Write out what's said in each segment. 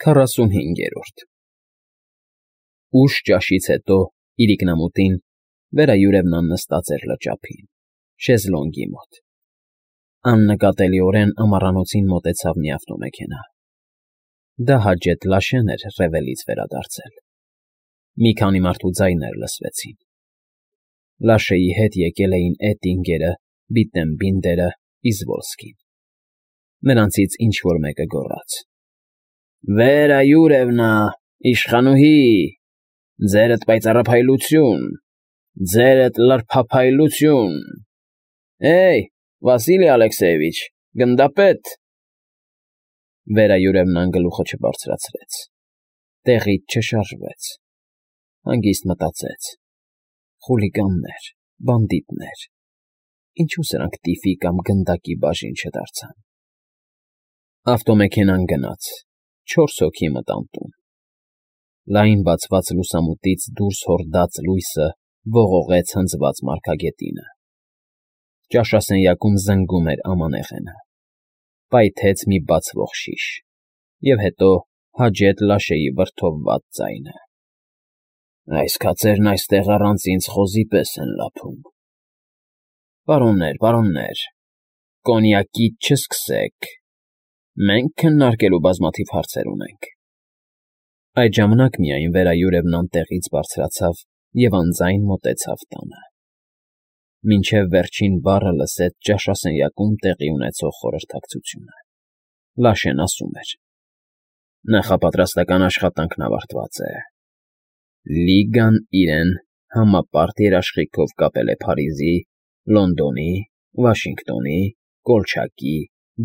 45-րդ Ուշ ճաշից հետո իրիկնամուտին վերայուրևնան նստած էր լճափին, շեզլոնգի մոտ. աննկատելիորեն ամառանոցին մոտեցավ մի ավտոմեքենա. դա Հաջեթ Լաշեն էր Ռևելից վերադարձել. մի քանի մարդու ձայներ լսվեցին. Լաշեի հետ եկել էին Էտինգերը, Բիտտենբինդերը, Իզվոլսկին. նրանցից ինչ֊որ մեկը գոռաց. «Վերայուրևնա, իշխանուհի, ձերդ պայծառափայլություն, ձերդ լրփափայլություն, Էյ, Վասիլի Ալեքսեևիչ, գնդապետ»։ Վերայուրևնան գլուխը չբարձրացրեց, տեղից չշարժվեց, հանգիստ մտածեց. խուլիգաններ, բանդիտներ, ինչու սրանք տիֆի կամ գնդակի բաժին չդարձան։ Ավտոմեքենան գնաց, 4 հոգի մտան տուն. լայն բացված լուսամուտից դուրս հորդած լույսը ողողեց հնձված մարգագետինը. ճաշասենյակում զնգում էր ամանեղենը, պայթեց մի բացվող շիշ, և հետո Հաջեթ Լաշեի վրդովված ձայնը. «Այս քացերն այստեղ առանց ինձ խոզի պես են լափում։ Պարոններ, կոնյակից չսկսեք, մենք քննարկելու բազմաթիվ հարցեր ունենք»։ Այդ ժամանակ միայն վերայուրևնան տեղից բարձրացավ և անձայն մոտեցավ տանը. մինչև վերջին բառը լսեց ճաշասենյակում տեղի ունեցող խորհրդակցությունը. Լաշեն ասում էր. «Նախապատրաստական աշխատանքն ավարտված է. Լիգան իրեն համապարտ երաշխիքով կապել է Փարիզի, Լոնդոնի, Վաշինգտոնի, Կոլչակի,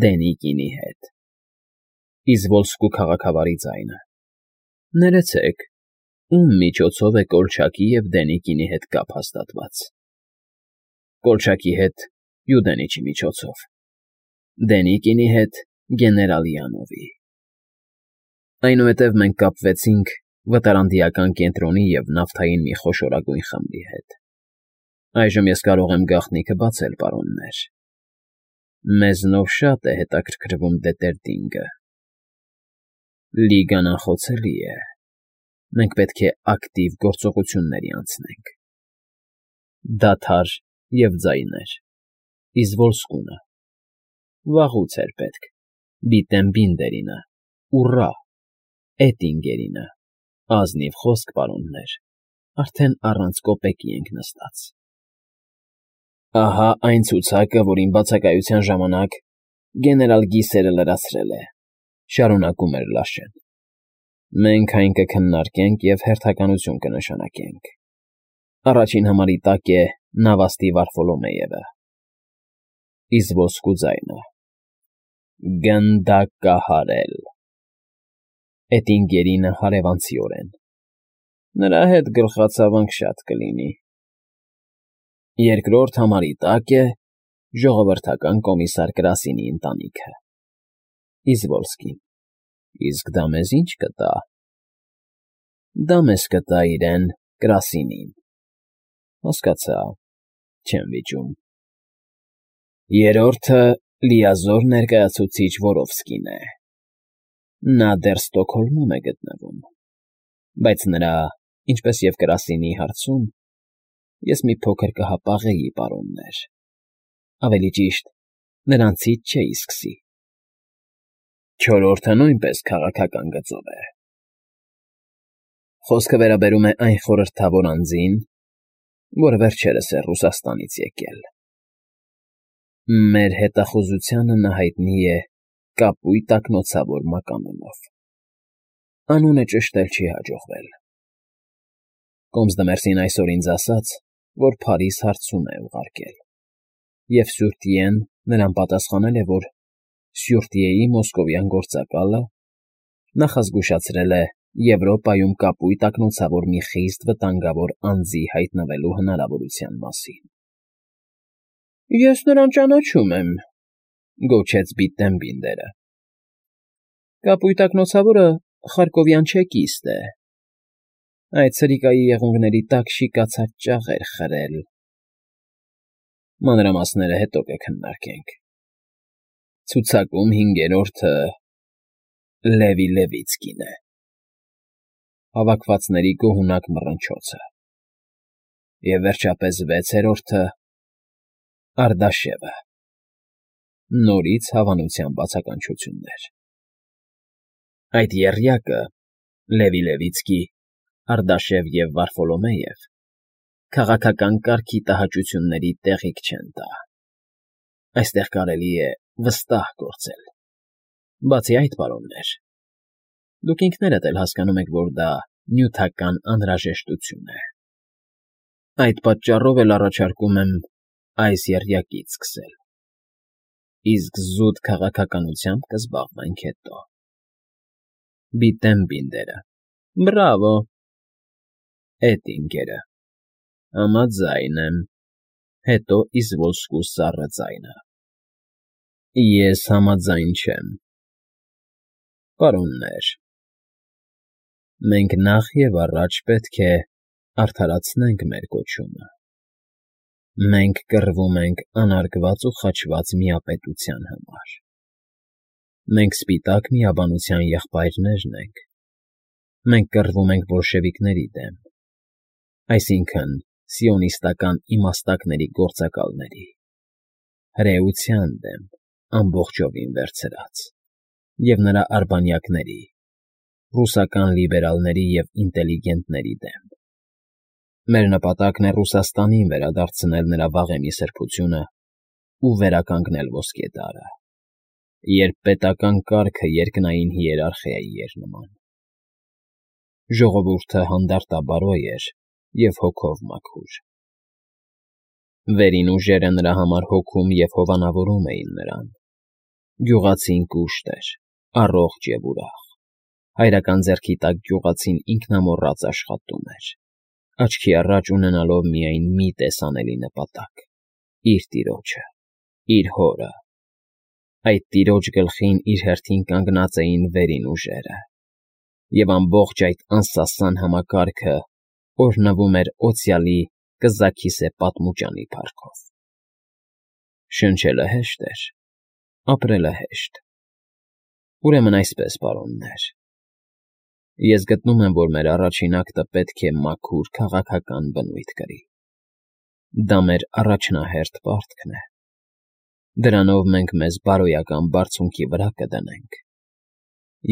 Դենիկինի հետ»։ Իզվոլսկու քաղաքավարի ձայնը. «Ներեցեք, ում միջոցով է Կոլչակի և Դենիկինի հետ կապ հաստատված»։ Կոլչակի հետ Յուդենիչի միջոցով, Դենիկինի հետ գեներալ-Յանովի։ Այնուհետև մենք կապվեցինք վտարանդիական կենտրոնի և նավթային մի խոշորագույն խմբի հետ։ Այժմ ես կարող եմ գաղտնիքը բացել, պարոններ. մեզնով շատ է հետաքրքրվում Դետերդինգը։ Լիգան անխոցելի է, մենք պետք է ակտիվ գործողությունների անցնենք։ Դադար և ձայներ. Իզվոլսկունը, վաղուց էր պետք, Բիտտենբինդերինը, ուռա, Էտինգերինը, ազնիվ խոսք, պարոններ, արդեն առանց կոպեկի ենք նստած։ Ահա այն ցուցակը, որ իմ բացակայության ժամանակ գեներալ Գիսերը լրացրել է, շարունակում էր Լաշեն. մենք այն կքննարկենք և հերթականություն կնշանակենք։ Առաջին համարի տակ է Նավաստի Վարֆոլոմեևը։ Իզվոլսկու ձայնը. գնդակահարել։ Էտինգերինը հարևանցիորեն. նրա հետ գլխացավանք շատ կլինի։ Երկրորդ համարի տակ է ժողովրդական կոմիսար Կրասինի ընտանիքը։ Իզվոլսկին. իսկ դա մեզ ի՞նչ կտա։ Դա մեզ կտա իրեն Կրասինին։ Հասկացա, չեմ վիճում։ Երրորդը լիազոր ներկայացուցիչ Որովսկին է։ Նա դեռ Ստոկհոլմում է գտնվում, բայց նրա, ինչպես և Կրասինի հարցում ես մի փոքր կհապաղեի, պարոններ, ավելի ճիշտ, նրանցից չէի սկսի։ Չորրորդը նույնպես քաղաքական գծով է։ Խոսքը վերաբերում է այն խորհրդավոր անձին, որը վերջերս է Ռուսաստանից եկել։ Մեր հետախուզությանը նա հայտնի է կապույտ ակնոցավոր մականունով։ Անունը ճշտել չի հաջողվել։ Կոմսդմերսին այսօր ինձ ասաց, որ Փարիզ հարցում է ուղարկել, և Սյուրտիեն նրան պատասխանել է, որ Սյուրտիեի մոսկովյան գործակալը նախազգուշացրել է Եվրոպայում կապույտ ակնոցավոր մի խիստ վտանգավոր անձի հայտնվելու հնարավորության մասին։ Ես նրան ճանաչում եմ, գոչեց Բիտտենբինդերը։ Կապույտ ակնոցավորը խարկովյան չեկիստ է։ Այդ սրիկայի եղունգների տակ շիկացած ճաղեր խրել։ Մանրամասները հետո կքննարկենք։ Ցուցակում հինգերորդը Լևի Լևիցկին է։ Հավաքվածների գոհունակ մռնչոցը։ Եվ վերջապես վեցերորդը Արտաշևը։ Նորից հավանության բացականչություններ։ Այդ եռյակը՝ Լևի Լևիցկի, Արտաշև և Վարֆոլոմեև, քաղաքական կարգի տհաճությունների տեղիք չեն տա։ Այստեղ կարելի է վստահ գործել։ Բացի այդ, պարոններ, դուք ինքներդ էլ հասկանում եք, որ դա նյութական անհրաժեշտություն է։ Այդ պատճառով էլ առաջարկում եմ այս եռյակից սկսել, իսկ զուտ քաղաքականությամբ կզբաղվենք հետո։ Բիտենբինդերը։ Բրավո։ Էտինգերը։ Համաձայն եմ։ Հետո Իզվոլսկու սառը ձայնը։ Ես համաձայն չեմ։ Պարոններ, մենք նախ և առաջ պետք է արդարացնենք մեր կոչումը։ Մենք կռվում ենք անարգված ու խաչված միապետության համար։ Մենք սպիտակ միաբանության եղբայրներն ենք։ Մենք կռվում ենք բոլշևիկների դեմ, այսինքն՝ սիոնիստական իմաստակների գործակալների, հրեության դեմ, ամբողջովին վերցրած, և նրա արբանյակների, ռուսական լիբերալների և ինտելիգենտների դեմ։ Մեր նպատակն է Ռուսաստանին վերադարձնել նրա վաղեմի սրբությունը ու վերականգնել ոսկե դարը, երբ պետական կարգը երկնային հիերարխիայի էր նման։ Ժողովուրդը հանդարտաբարոյ էր և հոգով մաքուր։ Վերին ուժերը նրա համար հոգում և հովանավորում էին նրան։ Գյուղացին կուշտ էր, առողջ և ուրախ։ Հայրական ձեռքի տակ գյուղացին ինքնամոռաց աշխատում էր, աչքի առաջ ունենալով միայն մի տեսանելի նպատակ՝ իր տիրոջը, իր հորը։ Այդ տիրոջ գլխին իր հերթին կանգնած էին վերին ուժերը, և ամբողջ այդ անսասան համակարգը օրհնվում էր օցիալի կզաքիսե պատմուճանի փառքով։ Շնչելը հեշտ էր, ապրելը հեշտ։ Ուրեմն այսպես, պարոններ, ես գտնում եմ, որ մեր առաջին ակտը պետք է մաքուր քաղաքական բնույթ կրի։ Դա մեր առաջնահերթ պարտքն է։ Դրանով մենք մեզ բարոյական բարձունքի վրա կդնենք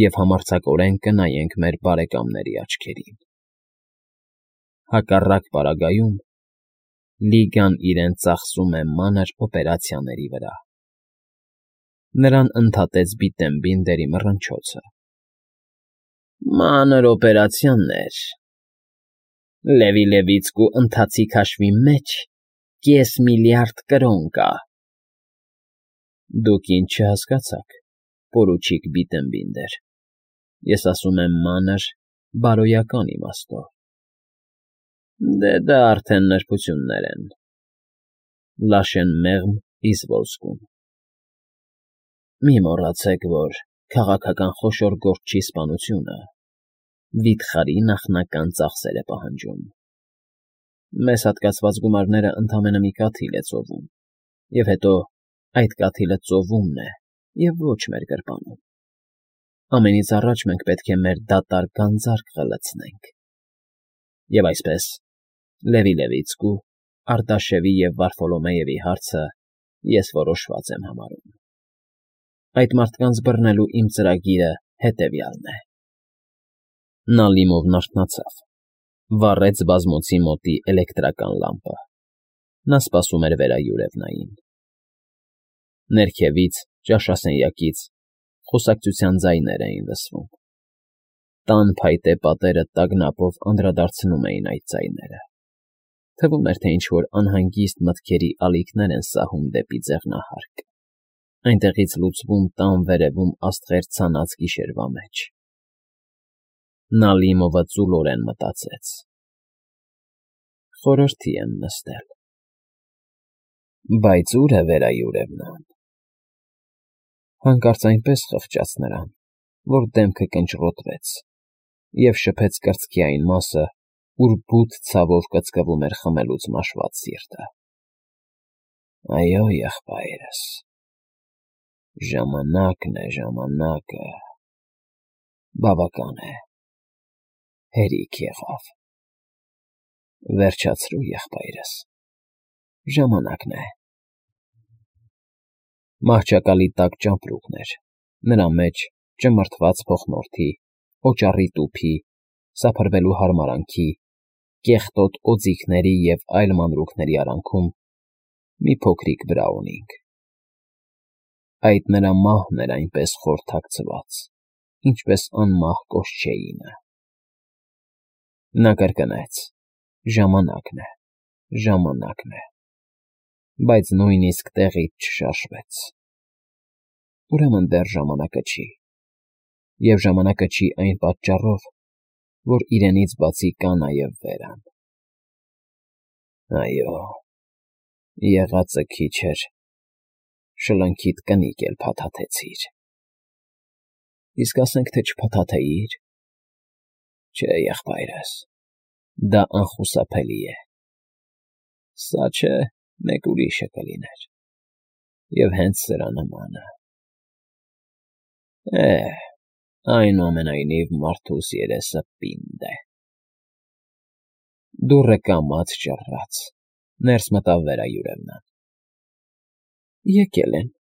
և համարձակորեն կնայենք մեր բարեկամների աչքերին։ Հակառակ պարագայում Լիգան իրեն ծախսում է մանր օպերացիաների վրա։ Նրան ընդհատեց Բիտենբինդերի մռնչոցը։ Մանր օպերացիաներ։ Լևի Լևիցկու ընթացիկ հաշվի մեջ կես միլիարդ կրոն կա։ Դուք ինչ չհասկացաք, պորուչիկ Բիտենբինդեր, ես ասում եմ մանր բարոյական իմաստով։ Դե դա արդեն նրբություններ են։ Լաշեն մեղմ Իզվոլսկում։ Մի մոռացեք, որ քաղաքական խոշոր գործչի սպանությունը վիթխարի նախնական ծախսեր է պահանջում։ Մեզ հատկացված գումարները ընդամենը մի կաթիլ է ծովում, և հետո այդ կաթիլը ծովումն է և ոչ մեր գրպանում։ Ամենից առաջ մենք պետք է մեր դատարկ գանձարկղը լցնենք։ Եվ այսպես, Լևի Լևիցկու, Արտաշևի և Վարֆոլոմեևի հարցը ես որոշված եմ համարում։ Այդ մարդկանց բռնելու իմ ծրագիրը հետևյալն է։ Նա լիմովն արթնացավ, վառեց բազմոցի մոտի էլեկտրական լամպը։ Նա սպասում էր վերայուրևնային։ Ներքևից, ճաշասենյակից խոսակցության ձայներ էին լսվում։ Տան փայտե պատերը տագնապով անդրադարձնում էին այդ ձայները։ Թվում էր, թե ինչ-որ անհանգիստ մտքերի ալիքներ են սահում դեպի ձեղնահարկ, այնտեղից լուծվում տան վերևում աստղեր ցանած գիշերվա մեջ։ Նա լիմովը ծուլորեն մտածեց. խորհրդի եմ նստել։ Բայց ո՞ւր է վերայուրևնան։ Հանկարծ այնպես խղճաց նրան, որ դեմքը կնճռոտվեց և շփեց կրծքի այն մասը, ուր բութ ցավով կծկվում էր խմելուց մաշված սիրտը։ Այո, եղբայրս, ժամանակն է, ժամանակը։ Բավական է։ Հերիք եղավ։ Վերջացրու, եղբայրս, ժամանակն է։ Մահճակալի տակ ճամպրուկներ, նրա մեջ ճմրթված փողնորդի, օճառի տուփի, սափրվելու հարմարանքի, կեղտոտ օձիքների և այլ մանրուքների արանքում մի փոքրիկ Բրաունինգ։ Այդ նրա մահն էր այնպես խոր թաքցված, ինչպես անմահ կոշչեինը։ Նա կրկնեց. ժամանակն է, ժամանակն է, բայց նույնիսկ տեղից չշարժվեց։ Ուրեմն դեռ ժամանակը չի, և ժամանակը չի այն պատճառով, որ իրենից բացի կա նաև Վերան։ Այո, եղածը քիչ էր, շլնքիդ կնիկ էլ փաթաթեցիր։ Իսկ ասենք թե չփաթաթեիր։ Չէ, եղբայրս, դա անխուսափելի է։ Սա չէ, մեկ ուրիշը կլիներ, և հենց սրա նմանը։ Այնուամենայնիվ մարդուս երեսը պինդ է։ Դուռը կամաց ճռռաց, ներս մտավ Վերայուրևնան։ Եկել են,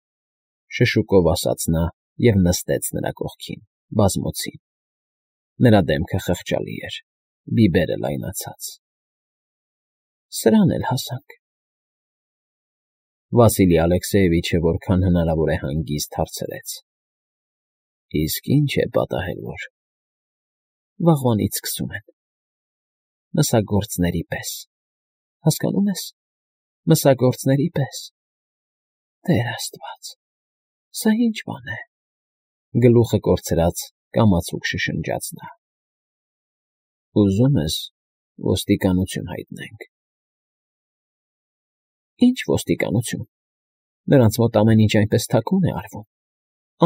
շշուկով ասաց նա և նստեց նրա կողքին, բազմոցին։ Նրա դեմքը խղճալի էր, բիբերը լայնացած։ Սրան էլ հասանք։ Վասիլի Ալեքսեևիչը որքան հնարավոր է հանգիստ հարցրեց. Իսկ ի՞նչ է պատահել, որ… Վաղվանից սկսում են։ Մսագործների պես, հասկանո՞ւմ ես, մսագործների պես։ Տեր Աստված, սա ի՞նչ բան է, գլուխը կորցրած կամացուկ շշնջաց նա։ Ուզում ես ոստիկանություն հայտնենք։ Ի՞նչ ոստիկանություն, նրանց մոտ ամեն ինչ այնպես թաքուն է արվում,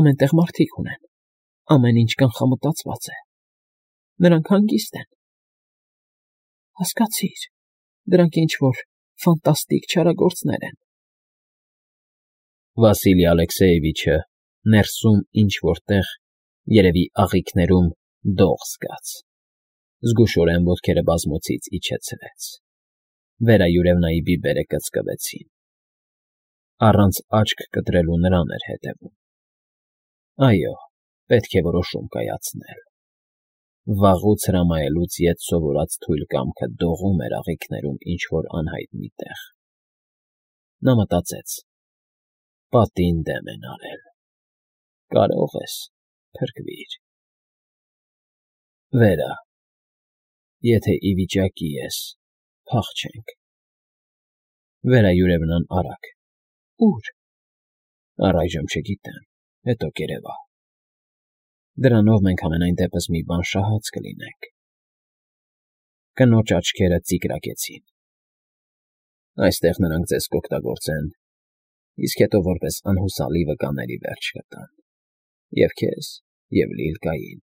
ամեն տեղ մարդիկ ունեն, ամեն ինչ կանխամտածված է, նրանք հանգիստ են։ Հասկացիր, դրանք ինչ֊որ ֆանտաստիկ չարագործներ են։ Վասիլի Ալեքսեևիչը ներսում ինչ֊որ տեղ, երևի աղիքներում, դող զգաց, զգուշորեն ոտքերը բազմոցից իջեցրեց։ Վերայուրևնայի բիբերը կծկվեցին։ Առանց աչք կտրելու նրան էր հետևում։ Այո, պետք է որոշում կայացնել։ Վաղուց հրամայելուց ետ սովորած թույլ կամքը դողում էր աղիքներում ինչ֊որ անհայտնի տեղ։ Նա մտածեց. պատին դեմ են արել։ Կարող ես, փրկվիր։ Վերա, եթե ի վիճակի ես, փախչենք։ Վերայուրևնան արագ. Ո՞ւր։ Առայժմ չգիտեմ, հետո կերևա։ Դրանով մենք համենայն դեպս մի բան շահած կլինենք։ Կնոջ աչքերը ծիկրակեցին։ Այստեղ նրանք ձեզ կօգտագործեն, իսկ հետո որպես անհուսալի վկաների վերջ կտան և քեզ, և Լիլկային,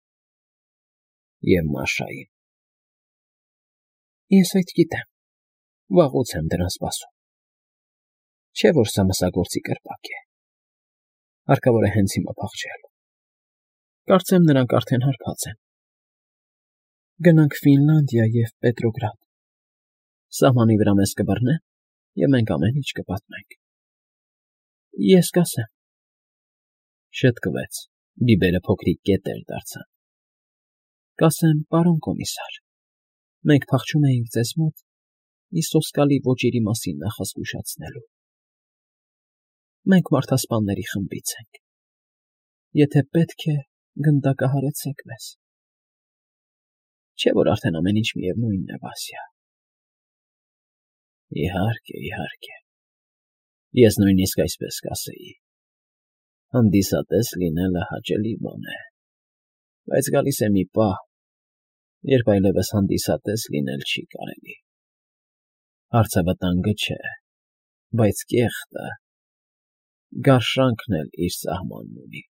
և Մաշային։ Ես այդ գիտեմ, վաղուց եմ դրան սպասում։ Չէ՞ որ սա մսագործի կրպակ է։ Հարկավոր է հենց հիմա փախչել։ Կարծեմ նրանք արդեն հարբած են։ Գնանք Ֆինլանդիա և Պետրոգրադ։ Սահմանի վրա մեզ կբռնեն, և մենք ամեն ինչ կպատմենք։ Ես կասեմ։ Շտկվեց, բիբերը փոքրիկ կետեր դարձան։ Կասեմ, պարոն կոմիսար, մենք փախչում էինք ձեզ մոտ մի սոսկալի ոճիրի մասին նախազգուշացնելու։ Մենք մարդասպանների խմբից ենք։ Եթե պետք է, գնդակահարեցեք մեզ։ Չէ՞ որ արդեն ամեն ինչ միևնույնն է, Վասյա։ Իհարկե, իհարկե։ Ես նույնիսկ այսպես կասեի. հանդիսատես լինելը հաճելի բան է, բայց գալիս է մի պահ, երբ այլևս հանդիսատես լինել չի կարելի։ Հարցը վտանգը չէ, բայց կեղտը, գարշանքն էլ իր սահմանն ունի։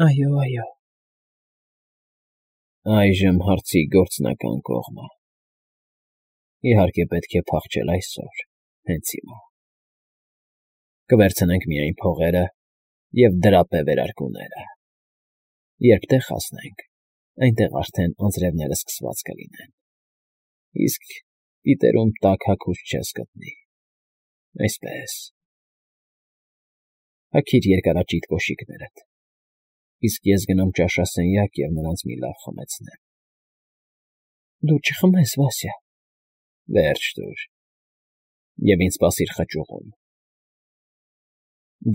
Այո, այո։ Այժմ հարցի գործնական կողմը։ Իհարկե պետք է փախչել այսօր, հենց հիմա։ Կվերցնենք միայն փողերը և դրապե վերարկուները։ Երբ տեղ հասնենք, այնտեղ արդեն անձրևները սկսված կլինեն, իսկ պիտերում տաք հագուստ չես գտնի, այսպես… Հագիր երկարաճիտ կոշիկներդ, իսկ ես գնամ ճաշասենյակ և նրանց մի լավ խմեցնեմ։ Դու չխմես, Վասյա… Վերջ տուր, և ինձ սպասիր խճուղում,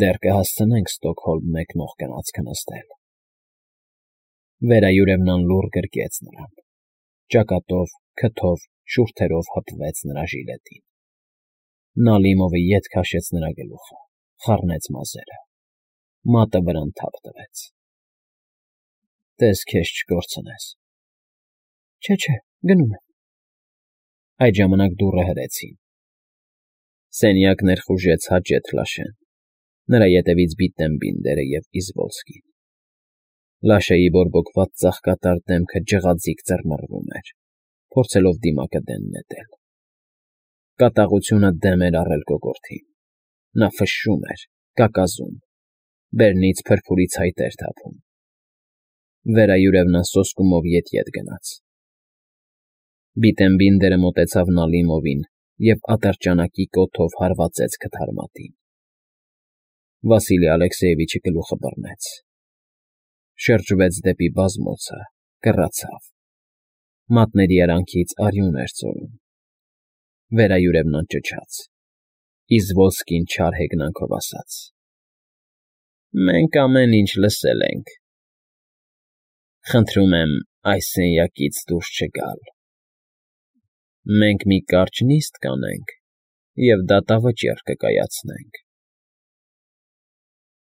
դեռ կհասցնենք Ստոկհոլմ մեկնող գնացքը նստել… Վերայուրևն լուռ գրկեց նրան, ճակատով, քթով, շուրթերով հպվեց նրա ժիլետին… Նալիմովը ետ քաշեց նրա գլուխը, խառնեց մազերը, մատը վրան թափ տվեց… Տես քեզ չկորցնես… Չէ, գնում եմ… Այդ ժամանակ դուռը հրեցին… Սենյակ ներխուժեց Հաջեթ Լաշեն, նրա ետևից Բիտտենբինդերը և Իզվոլսկին… Լաշեի բորբոքված ծաղկատար դեմքը ջղաձիգ ծռմռվում էր, փորձելով դիմակը դեն նետել… Կատաղությունը դեմ էր առել կոկորդին… Նա ֆշշում էր, կակազում, բերնից փրփուրի ցայտ էր թափում… Վերայուրևն սոսկումով ետ գնաց… Բիտենբինդերը մոտեցավ Նալիմովին և ատրճանակի կոթով հարվածեց քթարմատին… Վասիլի Ալեքսեևիչը գլուխը բռնեց, շրջվեց դեպի բազմոցը, կռացավ… Մատների արանքից արյուն էր ծորում… Վերայուրևն անճչաց… Իզվոլսկին չար հեգնանքով ասաց. Մենք ամեն ինչ լսել ենք… Խնդրում եմ այս սենյակից դուրս չգալ… Մենք մի կարճ նիստ կանենք և դատավճիռ կկայացնենք…